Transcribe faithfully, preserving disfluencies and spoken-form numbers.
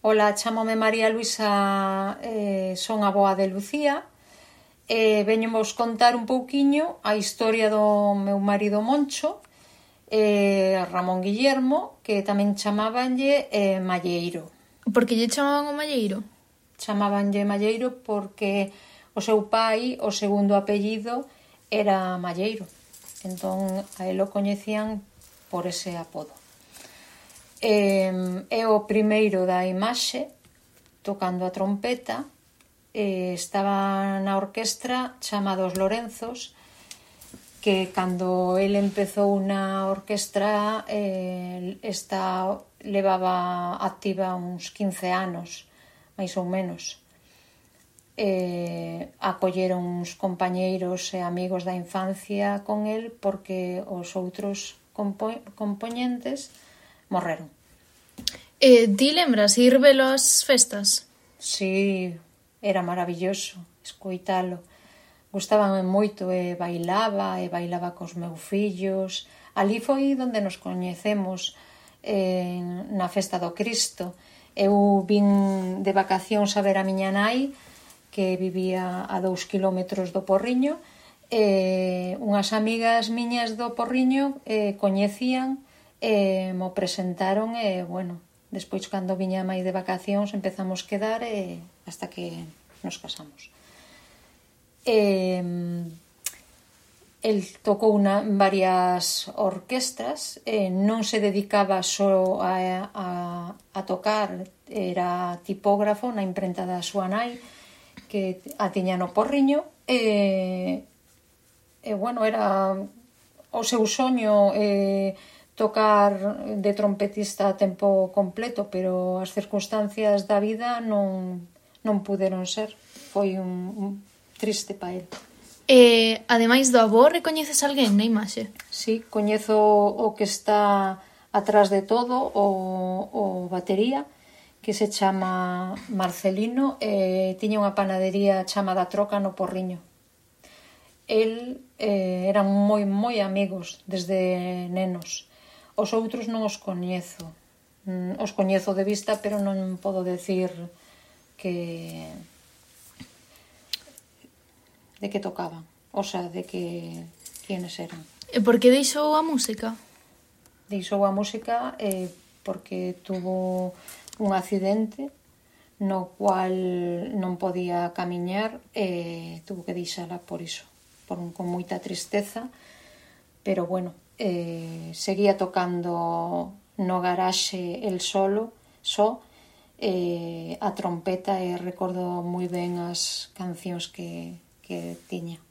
Ola, chámome María Luisa, eh, son a avoa de Lucía e veño vos contar un pouquiño a historia do meu marido Moncho, eh, Ramón Guillermo, que tamén chamabanlle eh, Malleiro. Por que lle chamaban o Malleiro? Chamabanlle Malleiro porque o seu pai, o segundo apellido, era Malleiro. Entón, a él o coñecían por ese apodo. Eh, é o primeiro da imaxe tocando a trompeta. eh, estaba na orquestra chamados Lorenzos, que cando el empezou na orquestra eh, esta levaba activa uns quince anos, máis ou menos. Eh, acolleron uns compañeiros e amigos da infancia con el porque os outros compo- compoñentes morreron. Eh, ti lembras ir velo ás festas? Si, era maravilloso escoitalo. Gustaban moito e bailaba, e bailaba cos meus fillos. Ali foi onde nos coñecemos, eh, na festa do Cristo. Eu vin de vacacións a ver a miña nai, que vivía a dous kilómetros do Porriño, e unhas amigas miñas do Porriño eh, coñecían e mo presentaron e, bueno, despois cando viña máis de vacacións empezamos a quedar e hasta que nos casamos. E, el tocou na, en varias orquestras, e non se dedicaba só a, a, a tocar, era tipógrafo na imprenta da súa nai, que a tiña no Porriño, e, e bueno, era o seu soño eh, tocar de trompetista a tempo completo, pero as circunstancias da vida non, non puderon ser. Foi un, un triste pa el. E, ademais do avó, recoñeces alguén na imaxe? Sí, coñezo o que está atrás de todo, o, o batería, que se chama Marcelino, e tiña unha panadería chamada Troca no Porriño. El eh, eran moi, moi amigos desde nenos. Os outros non os coñezo. Mm, os coñezo de vista, pero non podo decir que de que tocaban, o sea, de que quiénes eran. E por que deixou a música? Deixou a música eh, porque tuvo un accidente no cual non podía camiñar e tuvo que deixala por iso, por un, con moita tristeza, pero bueno, eh, seguía tocando no garaxe el solo, só, eh, a trompeta, e recordo moi ben as cancións que, que tiña.